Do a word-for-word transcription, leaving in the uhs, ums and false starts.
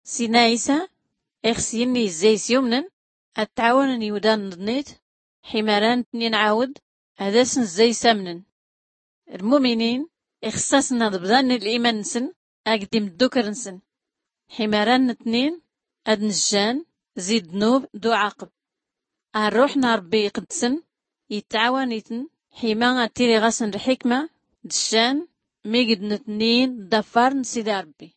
Sina isa ixsyin izzay syumnn ad-tɛawnn iwdan n-ḍnit ḥimaran tnin ɛawd ad-asn zzay samnn. Lmuminin ixsasn ad-bḍann l-iman-nsn agd imddukr-nsn ḥimaran tnin ad-nzjan zi ddnub d-uɛaqb. Arruḥ n-rbbi iqdsn ittɛawan-itn ḥima ad-tili ɣasn lḥikma d-ccan migdn tnin ḍaffar n-sidi rbbi.